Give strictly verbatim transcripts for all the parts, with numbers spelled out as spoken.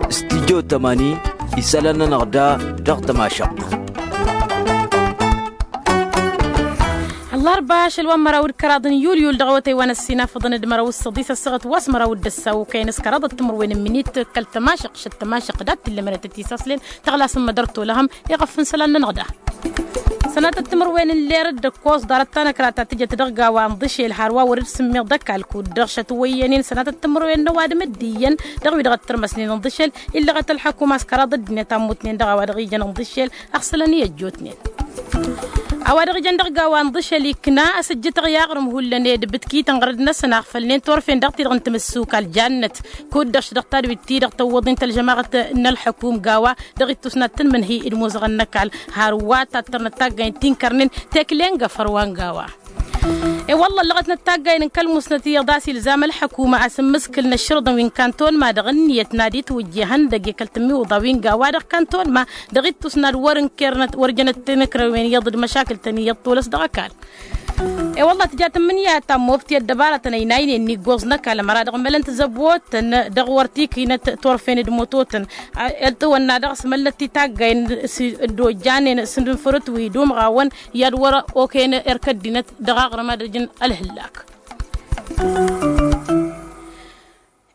Studio tămani isălan-nănăɣ da dăɣ-tămašăɣt. Ăllarba ašăl wa n-măraw d-kăraḍ n-yulyul dăɣ-awătay wa n-ăssinafăḍăn d-măraw s-săḍis ăssaɣăt wa s-măraw d-ăssaw okăyăn s-kăraḍăt timǝrwen n-minit kăl-tămašăɣt šăt tămašăɣt dat-t-illa mărătăt isaslen tăɣlasăm mădăr tolăhăm iɣăf n-isălan-nănăɣ da. Sănatăt timǝrwen n-ler d-ăkkoẓ ḍarăt tanăkra ta tǝjăt dăɣ-gawa n-iḍǝšel har wa wăr-dd-sǝmmiḍ d-ăkall kud-dăɣ šăt wăyyănen sănatăt timǝrwen n-ăwadǝm dd-iyyăn dăɣ-wi-dăɣ ăttărmăsnen n-iḍǝšel illăɣăt ălḥăkum a-s kăraḍ ăddinăt a ǝmmutnen dăɣ-a-wa dăɣ-ijăn n-iḍǝšel. Ăɣsălăn i-ăjjootnen a-wa dăɣ-ijăn dăɣ-gawa n-iḍǝšel ikna asǝjjǝtăɣ i-aɣrǝm hullan ed bǝtkităn ɣărăd-năsăn a ăɣfălnen turfen dăɣ-ti-dăɣ n-timǝssukal jannăt kud-dăɣ š-dăɣ tadwit-ti-dăɣ tăwwăḍ-in tălžămaɣăt n-ălḥăkum gawa dăɣ-ittus n-ad-tǝnmǝnhǝy d-imuzăɣăn n-ăkall har wa tattărnăt taggay n-ti n-kărnen tekle n-găfăr wa n-gawa. I-wălla ǝllăɣătnăt taggayăn n-kăl-musnăt iyyăḍ a-s ilzam ălḥăkuma a-s ǝmmǝskǝlnăt šărǝḍăn wi n-kantonma dăɣ-ǝnniyăt n-ad-itwǝjje ihăndăgg i-kăl-tǝmmiwǝḍa wi n-gawa dăɣ-kantonma dăɣ-ittus n-ad-wăr-ǝnkernăt wăr jănăt tinǝkrăwen iyyăḍ d-măšakǝl-tăn iyyăḍ tolăs dăɣ-ăkall. I-wălla tǝja tǝmmǝnǝya ta n-mobti ăddăbarătăn ăynaynen n-iggoẓ n-ăkall ămăra dăɣ-mălăn tizăbotăn dăɣ-wăr tikǝynăt turfen d-mototăn. Ăltǝwănna dăɣ-s măllăt titaggayăn s-dd-ojjanen s-ǝnfărǝt wi d-umɣawăn i-ad-wăr-okăyăn erk ăddinăt dăɣ-aɣrǝm ad-ăjǝn ălhǝllak.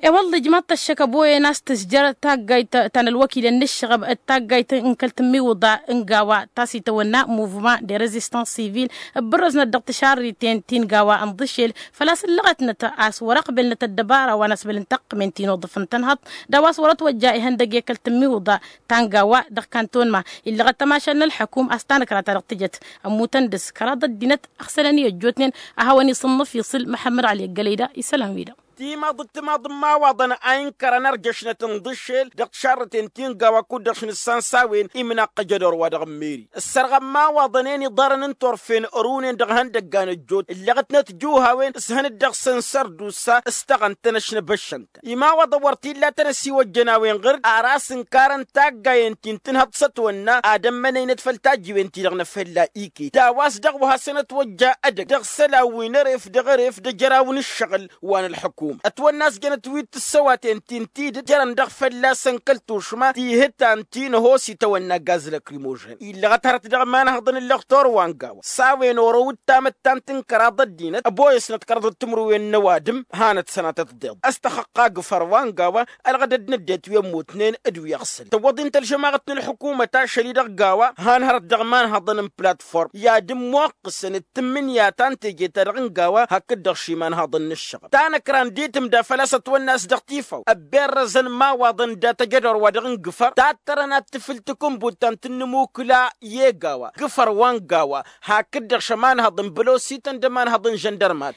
I-wălla ijmaḍ-t ăššăk ăboyăn a-s tǝzjăr taggayt ta n-ălwăkilăn n-ǝššăɣăb d-taggayt n-kăl-tǝmmiwǝḍa n-gawa ta s-itawănna muvman de rezistans sivil ǝbbărrăznăt dăɣ-tišarriten ti n-gawa n-iḍǝšel făl-a-s ǝllăɣătnăt a-s wăr-ăqbelnăt ăddăbara wa n-asbăl n-taqqǝmen ti n-oḍǝf n-tănhăḍt d-a-wa s-wăr-ătwăjja ihăndăgg i-kăl-tǝmmiwǝḍa ta n-gawa dăɣ-kantonma illăɣăt tămašal n-ălḥăkum a-s tanăkra-ta-dăɣ tǝjăt. Ămmutăn dăr-s kăraḍ ăddinăt ăɣsălăn i-ăjjootnen a hawăn-isǝnnǝf iṣǝl măḥămmăd ăli ăggălăy da isălan-wi-dăɣ. Timaḍ d-timaḍ n-imawaḍăn a inkărăn ărjăšnăt n-iḍǝššel dăɣ-tišarrăten ti n-gawa kud-dăɣ š-nǝssan s-a-wen imnaqqăj ădor wa dăɣ-n meri ǝssărɣăn imawaḍăn-en iḍarăn n-turfen ărunen dăɣ-ihăndăgga n-ăjjoot ǝllăɣătnăt juhawen s-hăn-dd-ăɣsăn sărdusa s-tăɣăn-tăn ăšnăbăššăn-tăn imawaḍăn wăr t-illa a tăn-ăsiwăjjăn a-wen ɣǝr-dd ar a-s ǝnkarăn taggayen-ti n-tǝnhăḍt s-ătwănna ad-ămmănăynăt făll-tajjiwen-ti-dăɣ n-efălla iket d-a-wa s-dăɣ wa hasăn-ătwăjja edăgg dăɣ-isălan wi n-eref dăɣ-eref d-ejăraw n-ǝššăɣǝl wa n-ălḥăkuma ătwănna a-s jănăt wi t-ǝssăwatăn-ti n-tidǝt jărăn dăɣ-fălla-săn kăl-tušma tihǝtan ti n-ăhoos itawănna gaz lăkrimožăn illăɣăt hărăt dăɣ-imanhăḍăn n-lăxtor wa n-gawa s-a-wen orăw d-tamăttant n-kăraḍ ăddinăt ăboyăsnăt kăraḍăt timǝrwen n-ăwadǝm hanăt-sănatăt deḍ s-tăxăqqa gǝfăr wa n-gawa ălɣădăd n-ăddinăt wi ămmutnen d-wi ăɣsăl tăwwăḍ-in tălžămaɣăt n-ălḥukumăt ašăl-i dăɣ-gawa han hărăt dăɣ-imanhăḍăn n-platform i-ad-ǝmmuqqǝsăn d-tǝmmǝnǝya ta n-teje-ta-dăɣ n-gawa hakd-dăɣ šimanhăḍăn n-ǝššăɣăb tanăkra n-ditǝmda făl-a-s ătwănna a-s dăɣ-tifaw ăbberrăzăn imawaḍăn dat-ăjădor wa dăɣ-n gǝfăr tattărăn ad-tǝfǝl takǝnbut ta n-tǝnnǝmukǝla i-e-gawa gǝfăr wa n-gawa hakd-dăɣ šămanhăḍ n-bălosităn d-ămanhăḍ n-žăndărmat.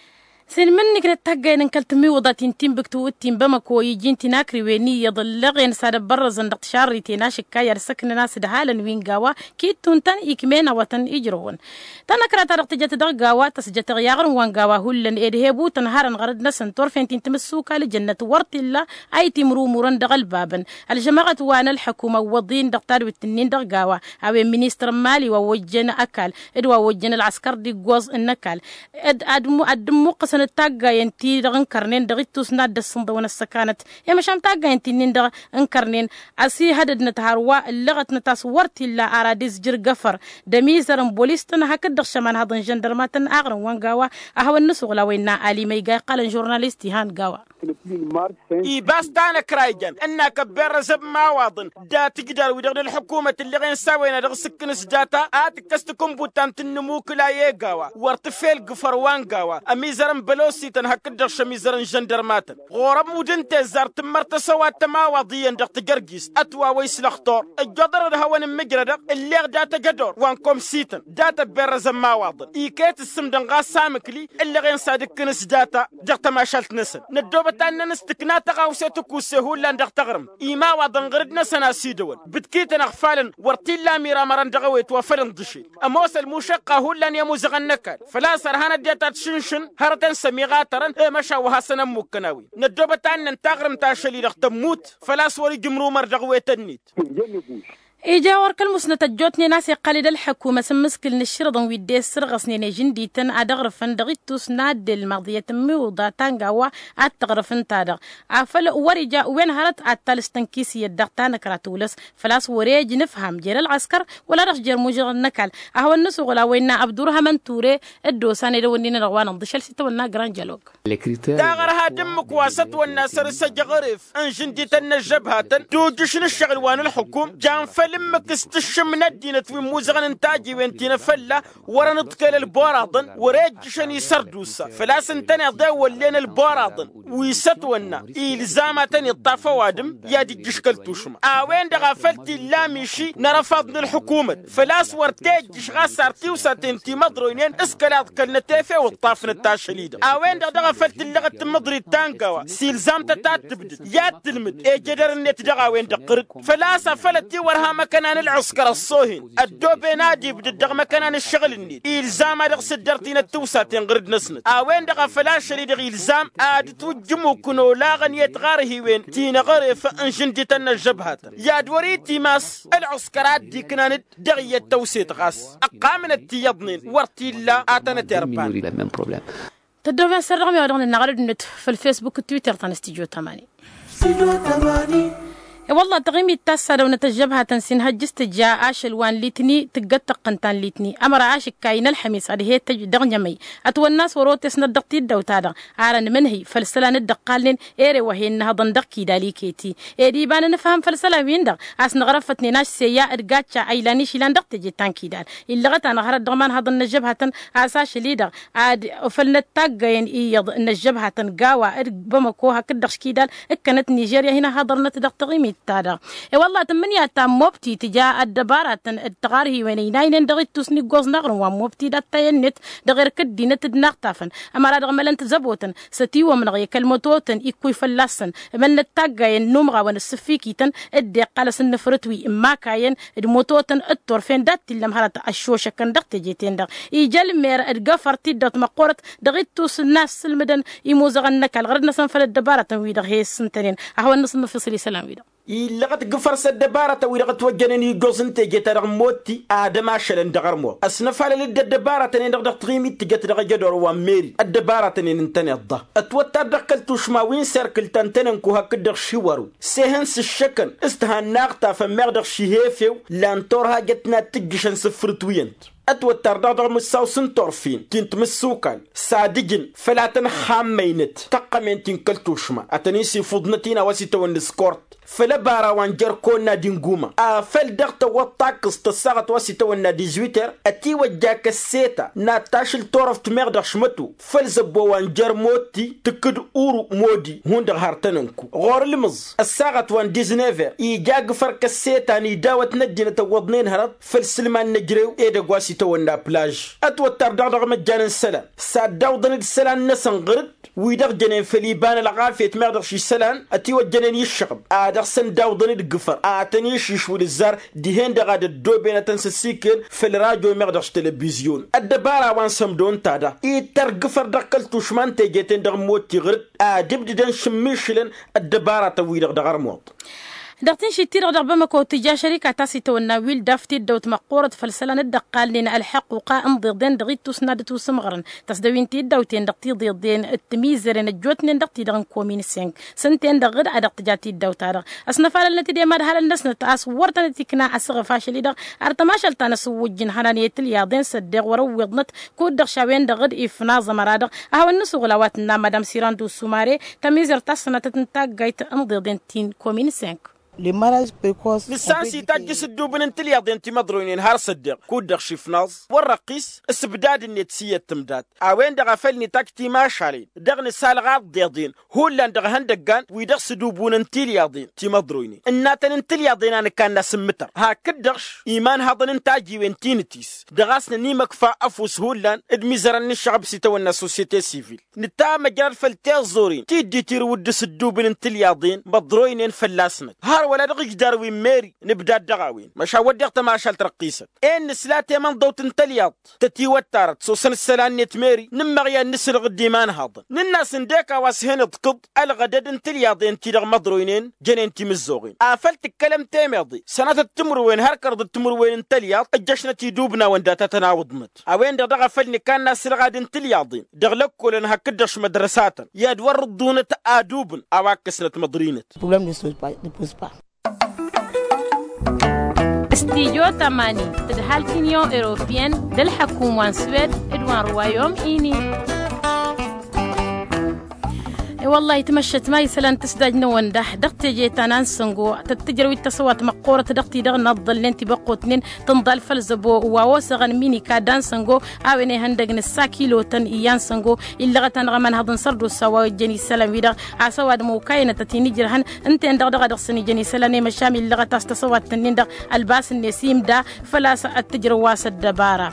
S-inmǝnniknăt taggayăn n-kăl-tǝmmiwǝḍa ti n-tinbǝktu d-tinbamăko iji n-tinakriwen iyyăḍ ǝllăɣen s-ad-ăbbărrăzăn dăɣ-tišarriten ašǝkka i-ad-săknăn a-s ǝdhalăn wi n-gawa kittuntăn ikmen awătăn ijrăwăn. Tanăkra-ta-dăɣ tǝjăt dăɣ-gawa tăsjătăɣ i-aɣrǝm wa n-gawa hullan ed hebutăn harăn ɣărăd-năsăn turfen ti n-timǝssukal ǝjănnăt wăr t-illa a itimrumurăn dăɣ-ălbabăn ălžămăɣăt wa n-ălḥăkum ăwwăḍ-in dăɣ-tadwit-nin dăɣ-gawa a-wen ministăr n-mali wa ojjăn ăkall d-wa ojjăn ălɣăskăr d-iggoẓ n-ăkall ad-dd-ǝmmuqqǝsăn d-taggayen-ti-dăɣ n-kărnen dăɣ-ittus n-ad-dd-ăssǝnḍăwăn ăssăkanăt i-măšan taggayen-ti-nin-dăɣ n-kărnen. Ăsihădădnăt hărwa ǝllăɣătnăt a-s wăr t-illa ar ad-izjǝr găfăr d-ămizăr n-bolis-tăn hakd-dăɣ šămanhăḍ n-žăndărmatăn aɣrǝm wa n-gawa. A hawăn-nǝsuɣǝl a-wa innă ali ma iga iqqalăn žurnalist ihan gawa. Ibas tanăkra ijăn ǝnn'-ak ăbberrăzăn imawaḍăn dat-ǝjdar-wi-dăɣ n-ălḥǝkumăt ǝlleɣen s-a-wen a dăɣ-sǝkkǝn s-data a tǝkkăs takǝnbut ta n-tǝnnǝmukǝla i-e-gawa wăr tǝfel gǝfăr wa n-gawa ămizărăn bălosităn hakd-dăɣ šămizărăn žăndărmatăn ɣur-ămmud n-tezzar tǝmmăr tăsăwat tămawaḍ iyyăn dăɣ-tijărjist ătwawăy s-lăxtur ǝjjoḍărăn ad-hawăn-ǝmmǝjrădăɣ ǝlleɣ dat-ăjădor wa n-komsităn dat-ăbberrăzăn imawaḍăn iket ǝssǝmdăn ɣas amǝkli ǝllăɣen s-ad-ǝkkǝn s-data dăɣ-tămašalt-năsăn năddoobăt ad-năn s-tǝkna tăɣawse tǝkusse hullan dăɣ-taɣrǝmt imawaḍăn ɣǝr-dd-năsăn a-s idăwăn bǝtkităn ăɣfalăn wăr t-illa amiramărăn dăɣ-ewet wa făll-inḍǝšel ămoos ălmušăqqa hullan i-ămuzăɣăn n-ăkall făl-a-s ărhan ăddinăt ad-šǝnšǝn hărătăn s-ămiɣatărăn i-măšan wa hasăn-ămmukkăn a-wen năddoobăt ad-năn taɣrǝmt ašăl-i-dăɣ tămmut făl-a-s wăr-ija imrumăr dăɣ-ewet-net. Ija wăr kăl-musnăt ăjjootnen a-s iqqal-dd ălḥăkumăt n-imǝskǝl n-ǝššǝrǝḍăn wi dd-e-ǝssărɣăsnen i-žǝndităn ad-ăɣrǝfăn dăɣ-ittus n-addel maḍiyăt n-miwǝḍa tangawa ad-tăɣrǝf ǝnta-dăɣ. Afăl wăr-ija wen hărăt ad-talǝs tănkis iyyăt dăɣ-tanăkra tulăs făl-a-s wăr-e ăj nǝfham jer-ălɣăskăr wăla dăɣ-s jer-mužăɣ n-ăkall. Ad-hawăn-nǝsuɣǝl a-wa innă abdurhămăn ture dd-osan edăwănnin-dăɣ wa nǝnḍǝšăl s-itawănna grand jalog. Taɣărha d-ǝmmǝk wa s-ătwănna săr-s ăjăɣref n-žǝndităn n-ăžžăbhatăn tujǝš n-ǝššăɣǝl wa n-ǝlxǝkum jan făll-ǝmmǝk s-tǝššǝm n-ăddinăt wi n-imuzăɣăn n-tajiwen ti n-afălla wăr-ănǝḍkel ălboraḍăn wăr-e ǝjjǝšăn isărdusa făl-a-s ǝntăneḍ i-wăllen ălboraḍăn wi s-ătwănna ilzam ad-tăn-iṭṭaf ăwadǝm i-ad-ijjǝš kăl-tušma a-wen-dăɣ a făl t-illa miši n-arăfaḍ n-ǝlxǝkumăt făl-a-s wăr t-e ǝjjǝš ɣas ar tiwsaten timăḍroynen s-kăla ǝḍkălnăt efew ǝṭṭafnăt ašăl-i-dăɣ a-wen-dăɣ daɣ a făl t-ǝllăɣăt timǝḍrit tangawa s-ilzam-tăt ad-tǝbdǝd i-ad-tǝlmǝd ejădăr-net dăɣ-a-wen-dăɣ ɣǝr-dd făl-a-s a făl ătiwărha măkăna n-ǝlɣǝskăr ăṣṣoohen ăddooben ad-ibdǝd dăɣ-măkăna n-ǝššăɣǝl-net ilzam ad-dăɣ-s ǝddăr tinăt tiwsaten ɣǝr-dd-năsnăt a-wen-dăɣ a făl ašăl-i-dăɣ ilzam ad-ǝtwǝjjǝm ukǝn olaɣăn i-tiɣarhiwen ti n-aɣref n-žǝndităn n-ăžžăbhatăn i-ad-wăr-itimas ǝlɣǝskăr ad-dd-iknan-dd dăɣ-iyyăt tăwset ɣas ăqqamnăt tiyyăḍnen wăr t-illa ad-tănăterban. Tăddoben săr dăɣ-mi a-wa dăɣ-nǝnnaɣ ălădnet făll-fesbuk d-twitter ta n-stijo tamani. E-wălla taɣimit ta s-ad-ăwnăt ăžžăbhatăn s-inhăjj s-tǝja ašăl wa n-litni tǝggăt tăqqǝn ta n-litni ămăra ašǝkkay n-ălxămis ad-he-tăj dăɣ-njămăy ătwănna a-s wăr-otesnăt dăɣ-tiddawt-ta-dăɣ. Ar ănmǝnhǝy făll-isălan dd-ǝqqalnen ere wa he-innăhăḍăn dăɣ-kidal iket-i ed iba n-anǝfham făll-isălan-win-dăɣ a-s năɣrăfătnen ašseya d-gacca a ilan išilan dăɣ-teje ta n-kidal. Illăɣăt a năɣhărăt dăɣ-imanhăḍăn n-ăžžăbhatăn a-s ašăl-i-dăɣ ad-ofălnăt taggăyăn iyyăḍ n-ăžžăbhatăn gawa d-bamăko hakd-dăɣ s-kidal ǝkkănăt nižerya hin-ăhaḍărnăt dăɣ-taɣimit-ta-dăɣ. I-wălla tǝmmǝnǝya ta n-mobti tǝja ăddăbaratăn d-tiɣarhiwen ăynaynen dăɣ-ittus n-iggoẓ n-aɣrǝm wa n-mobti d-attăyăn-net dăɣ-erk ăddinăt d-inaɣtafăn ămăra dăɣ-mălăn tizăbotăn s-ătiwămnăɣ i-kăl-mătotăn ikkăy fălla-săn. Mălnăt taggayen n-umɣawăn ǝssǝffikităn dd-iqqal asǝnnǝfrǝtwi n-imakayăn d-mototăn d-turfen dat-t-illăm hărăt ăššošăkăn dăɣ-teje-ten-dăɣ. Ija ălmer d-găfăr tiddawt măqqoorăt dăɣ-ittus n-assǝlmǝdăn imuzăɣăn n-ăkall ɣărăd-năsăn făll-ăddăbaratăn-wi-dăɣ he-issǝntănen. A hawăn-nǝsǝnnǝfisǝl isălan-wi-dăɣ. Illăɣăt gǝfăr s-ăddăbaratăn-wi-dăɣ ătwăjjănen iggoẓ n-teje-ta-dăɣ n-motti ad-ămašălăn dăɣ-ărmuḍ ăsnăfalăl-dd ăddăbaratăn-en-dăɣ dăɣ-taɣimit tǝjăt dăɣ-ejădor wa n-meri ăddăbaratăn-en ǝntăneḍ-dăɣ. Ătwăttar dăɣ-kăl-tušma wi n-serkǝl ta n-tenănku hakd-dăɣ šiwăru s-ehăn s-ǝššăkăn s-tihannăɣ tafămmeɣ dăɣ-šihefew. Lan turhajăt n-ad-tǝjjǝšăn s-ǝfrǝtwiyăn-t ătwăttar dăɣ-dăɣ mǝssaw s-n-turfen ti n-timǝssukal s-ad-ǝjǝn făll-ad-tăn-ixammăynăt tăqqămen ti n-kăl-tušma ad-tăn-isifuḍnăt-in a-wa s-itawănna s-kort. Făll-ăbara wa n-jer-konna d-inguma afăl dăɣ-tăwwăḍ takkǝẓt ăssaɣăt wa s-itawănna dizwiter ătiwăjja kăsseta n-ad-tašǝl turăft meɣ dăɣ-šmăto făll-zăbbo wa n-jer-motti tǝkkǝd uru modi hundăɣ har tănănku ɣur-ǝlmǝẓ ăssaɣăt wa n-diznever ija gǝfăr kăsseta n-idawăt n-ăddinăt ăwwăḍnen hărăt făll-isǝlman n-ejrew edăgg wa s-itawănna plaj. Ătwăttar dăɣ-dăɣ măjjan n-isălan s-ad-dd-awḍăn-dd isălan-năsăn ɣǝr-dd wi-dăɣ jănen făll-iba n-ălɣafyăt meɣ dăɣ-š isălan ătiwăjjănen iššăɣb ad-dăɣ-săn dd-awḍăn-dd gǝfăr ad-tăn-iššǝšwǝl ǝzzar dihen-dăɣ ad-ăddooben ad-tăn-săssiken făll-rajo meɣ dăɣ-š telebizyon. Ăddăbara wa n-sămdo ǝnta daɣ ittăr gǝfăr dăɣ-kăl-tušma n-teje-ten-dăɣ n-motti ɣǝr-dd ad-ǝbdǝdăn šǝmmišǝlăn ăddăbaratăn-wi-dăɣ dăɣ-ărmuḍ. Dăɣ-tinšit-ti-dăɣ dăɣ-bamăko tǝja šărika ta s-itawănna wildaf tiddawt măqqoorăt făll-isălan dd-ăqqalnen ălḥăqquqa ǝnḍeḍen dăɣ-ittus n-ad-ătusǝmɣărăn tăsdăwin tiddawten dăɣ-tiḍeḍen d-timizăren ăjjootnen dăɣ-ti-dăɣ n-komin sink s-ǝnta-en-dăɣ dd-a dăɣ-tǝja tiddawt-ta-dăɣ. Ăsnăfalălnăt-dd i-imadhalăn-năsnăt a-s wăr tănăt-ikna asǝɣǝf ašăl-i-dăɣ ar tămašăl ta n-asǝwwǝjj n-ihănan i-tilyaḍen s-ăddeɣ wăr-ǝwwiḍnăt kud-dăɣ šawen-dăɣ dd-ifnaẓ ămăra-dăɣ. A hawăn-nǝsuɣǝl a-wa tǝnna madam sirand usumare tămizărt ta s-sănatăt n-taggayt ǝnḍeḍen ti n-komin sink. Nǝssan s-itajj s-ǝddubǝn n-tilyaḍen timăḍroynen har s-ăddeɣ kud-dăɣ šifnaẓ wăr-răqqis s-ǝbdad-net s-iyyăt tǝmdat a-wen-dăɣ a făl nitajj timašalen dăɣ-nǝsalɣaḍ d-iḍen hullan dăɣ-ihăndăggan wi dăɣ-s ǝdubun n-tilyaḍen timăḍroynen ǝnnatăn n-tilyaḍen a nǝkanna s-ǝmmǝtăr hakd-dăɣ imanhăḍăn n-tajiwen ti n-tis dăɣ-a-s nănimăkfa ăfuss hullan d-imizărăn n-ǝššăɣăb s-itawănna sosyete sivil. Nǝta măjrad făll-tiẓẓurin ti dd-itirǝw dd-s ǝddubǝn n-tilyaḍen măḍroynen fălla-snăt har wăla dăɣ-ijdar wi n-meri. Nǝbdad dăɣ-a-wen măšan wădden tămašalt răqqisăt. Ed nǝsla temănḍăwt n-tălyaḍt tătiwăttarăt s-osăn ǝssălan-net meri nǝmmăɣ i-ad-nǝsǝlɣǝd imanhaḍăn. Nǝnn'-as ǝndek a-wa s-hen-iḍkǝḍ ălɣădăd n-tilyaḍen-ti-dăɣ măḍroynen jănen timǝzzoɣen afăl tǝkkălăm temeḍe sănatăt timǝrwen har kăraḍăt timǝrwen n-tălyaḍ. Ǝjjăšnăt idubnawăn data tăn-awǝḍnăt a-wen-dăɣ daɣ a făl nǝkanna s-ǝlɣad n-tilyaḍen dăɣ-lăkkolăn hakd-dăɣ šmădrăsatăn i-ad-wăr-ǝḍḍunăt adubǝn a-wa ǝkkăsnăt măḍrinăt. Problăm nu s-păz păz pa. Studyo tamani tǝdhal t-inyon europiyăn d-ălḥăkum wa n-swed d-wa n-ruwayom ini. I-wăllah itmăššăt ma isălan tǝsdaj n-ăwănda dăɣ-teje ta n-ansăngo tăt-tǝjrăw-dd tăsăwat măqqoorăt dăɣ-ti-dăɣ n-aḍḍălnen tibăqqotnen tǝnḍal făll-zăbo wa osăɣăn minika d-ansăngo. A-wen ihăndăg n-ǝssa kilotăn i-ansăngo illăɣăt-anăɣ ămanhăḍ n-sărdusa wa ojjăn isălan-wi-dăɣ a-s ăwadǝm okayăn-tăt-in-ijrăhăn. Ǝnta-en-dăɣ dăɣ-a dăɣ-săn ijăn isălan i-măšan illăɣăt a-s tăsăwat-tăn-in-dăɣ ălbas-net imda făl-a-s ad-t-ǝjrăw a-s ăddăbara.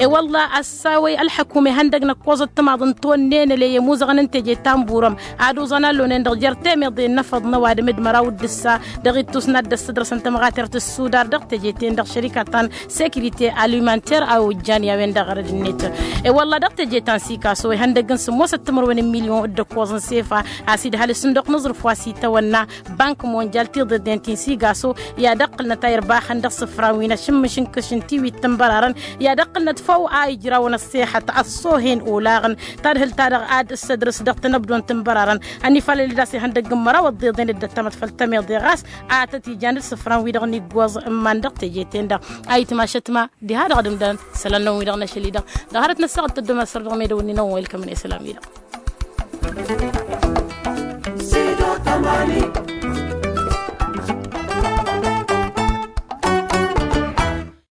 I-wălla a-s a-wa ălḥăkum ihăndăg n-ăkkoẓăt timaḍ n-tonnenăle i-ămuzăɣăn n-teje ta n-burăm ad-oẓan allonen-dăɣ jer-temeḍe n-inăfăḍ n-ăwadǝm d-măraw d-ǝssa. Dăɣ-ittus n-ad-dd-ăssădrăsăn tămɣatert s-sudar dăɣ-teje-ten-dăɣ šărikăt ta n-sekirite alimanter a ojjan i-a-wen-dăɣ ɣărăd-net. I-wălla dăɣ-teje ta n-sikaso ihăndăg n-sǝmmosăt timǝrwen n-milyon d-ăkkoẓ n-sefa a-s idhal s-sǝnduq n-aẓrǝf wa s-itawănna bank monjal tiḍeḍen ti n-sigaso i-ad-ăqqǝlnăt a irbaxăn dăɣ-isǝfran wi n-ašǝmmǝš n-kǝš n-tiwit tǝnbărarăn i-ad-ăqqǝlnăt făw a ijrawăn ăṣṣeḥăt ăṣṣohen olaɣăn. Tadhǝlt-ta-dăɣ ad-tǝssădrǝs dăɣ-tinăbdon tǝnbărarăn ănifalăl-dd a-s ihăndăgg n-măraw ăḍḍeḍen d-ăttămăt făll-temeḍe ɣas a tăt-ijan d-isǝfran-wi-dăɣ n-iggoẓ n-iman dăɣ-teje-ten-dăɣ. A itmašăt ma diha-dăɣ d-ǝmdăn isălan-năwăn-wi-dăɣ n-ašăl-i-dăɣ dăɣ-hărăt n-ăssaɣăt tăddom asăr dăɣ-medăwăn-in-awăn wa ilkămăn isălan-wi-dăɣ.